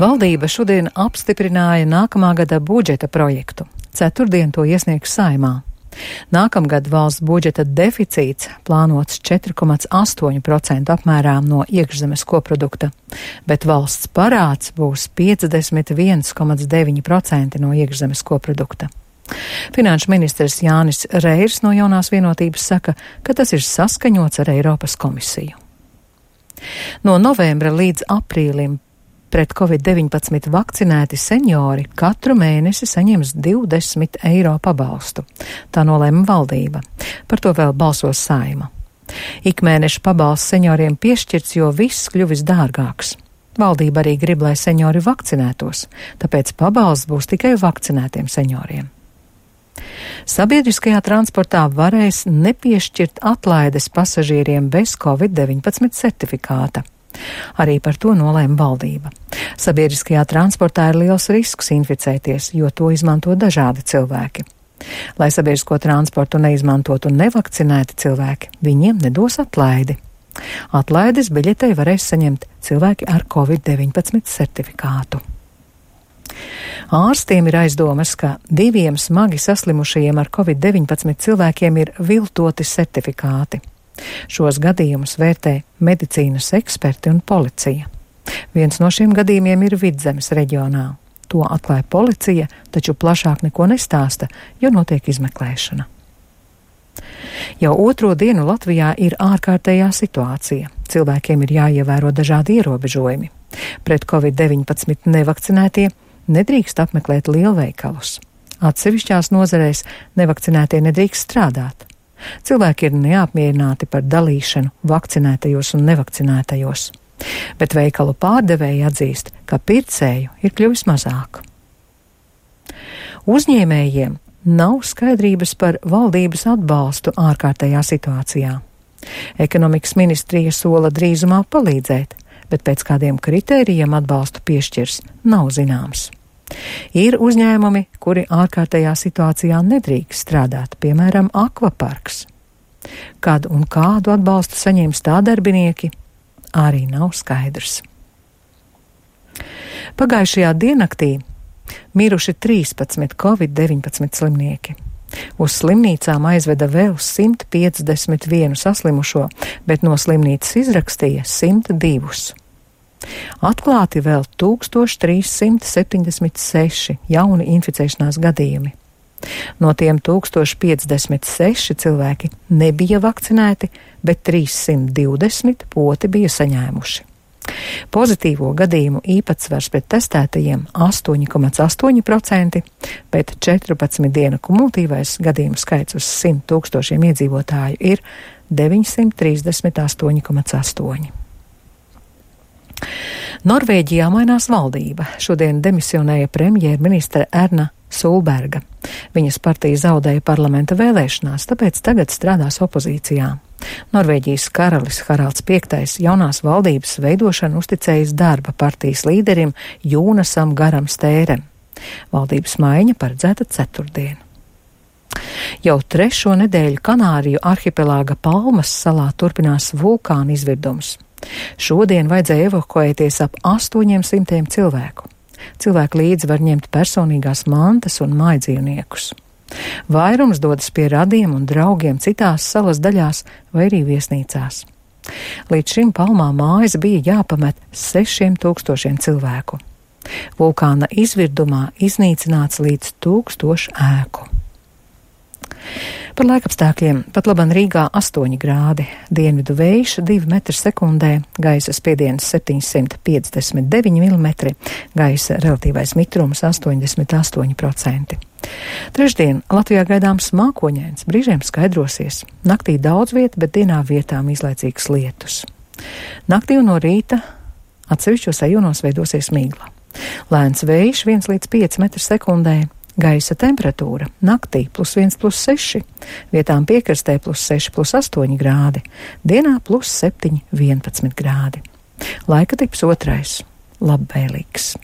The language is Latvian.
Valdība šodien apstiprināja nākamā gada budžeta projektu. Ceturtdien to iesniegs Saeimā. Nākamgad valsts budžeta deficīts plānots 4,8% apmērā no iekšzemes koprodukta, bet valsts parāds būs 51,9% no iekšzemes koprodukta. Finanšu ministrs Jānis Reirs no Jaunās vienotības saka, ka tas ir saskaņots ar Eiropas komisiju. No novembra līdz aprīlim pret Covid-19 vakcinēti seniori katru mēnesi saņems 20 eiro pabalstu. Tā nolēma valdība. Par to vēl balsos Saeima. Ikmēneša pabalsts senioriem piešķirts, jo viss kļuvis dārgāks. Valdība arī grib, lai seniori vakcinētos, tāpēc pabalsts būs tikai vakcinētiem senioriem. Sabiedriskajā transportā varēs nepiešķirt atlaides pasažieriem bez Covid-19 certifikāta. Arī par to nolēma valdība. Sabiedriskajā transportā ir liels risks inficēties, jo to izmanto dažādi cilvēki. Lai sabiedrisko transportu neizmantotu nevakcinēti cilvēki, viņiem nedos atlaidi. Atlaides biļetei varēs saņemt cilvēki ar Covid-19 certifikātu. Ārstiem ir aizdomas, ka 2 smagi saslimušajiem ar Covid-19 cilvēkiem ir viltoti certifikāti. Šos gadījumus vērtē medicīnas eksperti un policija. Viens no šiem gadījumiem ir Vidzemes reģionā. To atklāja policija, taču plašāk neko nestāsta, jo notiek izmeklēšana. Jau otro dienu Latvijā ir ārkārtējā situācija. Cilvēkiem ir jāievēro dažādi ierobežojumi. Pret Covid-19 nevakcinētie nedrīkst apmeklēt lielveikalus. Atsevišķās nozarēs nevakcinētie nedrīkst strādāt. Cilvēki ir neapmierināti par dalīšanu vakcinētajos un nevakcinētajos, bet veikalu pārdevēji atzīst, ka pircēju ir kļuvis mazāk. Uzņēmējiem nav skaidrības par valdības atbalstu ārkārtējā situācijā. Ekonomikas ministrija sola drīzumā palīdzēt, bet pēc kādiem kritērijiem atbalstu piešķirs nav zināms. Ir uzņēmumi, kuri ārkārtējā situācijā nedrīkst strādāt, piemēram, akvaparks. Kad un kādu atbalstu saņems tā darbinieki, arī nav skaidrs. Pagājušajā diennaktī miruši 13 Covid-19 slimnieki. Uz slimnīcām aizveda vēl 151 saslimušo, bet no slimnīcas izrakstīja 102. Atklāti vēl 1376 jauni inficēšanās gadījumi. No tiem 1056 cilvēki nebija vakcinēti, bet 320 poti bija saņēmuši. Pozitīvo gadījumu īpatsvars pret testētajiem 8,8%, bet 14 dienu kumulatīvais gadījumu skaits uz 100 tūkstošiem iedzīvotāju ir 938,8. Norvēģijā mainās valdība. Šodien demisionēja premjerministre Erna Solberga. Viņas partija zaudēja parlamenta vēlēšanās, tāpēc tagad strādās opozīcijā. Norvēģijas karalis Haralds V jaunās valdības veidošanu uzticējis darba partijas līderim Jūnasam Garam Stērem. Valdības maiņa paredzēta ceturtdien. Jau 3. nedēļu Kanāriju arhipelāga Palmas salā turpinās vulkāna izvirdums. Šodien vajadzēja evakuēties ap 800 cilvēku. Cilvēki līdzi var ņemt personīgās mantas un mājdzīvniekus. Vairums dodas pie radiem un draugiem citās salas daļās vai arī viesnīcās. Līdz šim Palmā mājas bija jāpamet 6000 cilvēku. Vulkāna izvirdumā iznīcināts līdz 1000 ēku. Par laikapstākļiem pat laban Rīgā 8 grādi, dienvidu vējš 2 metri sekundē, gaisa spiediens 759 mm, gaisa relatīvais mitrums 88%. Trešdien Latvijā gaidāms mākoņains, brīžiem skaidrosies. Naktī daudz vieta, bet dienā vietām izlaicīgs lietus. Naktī un no rīta atsevišķos rajonos veidosies migla. Lēns vējš 1 līdz 5 metri sekundē. Gaisa temperatūra naktī +1, +6, vietām piekrastē +6, +8 grādi, dienā +7, 11 grādi. Laika tips 2. Labvēlīgs.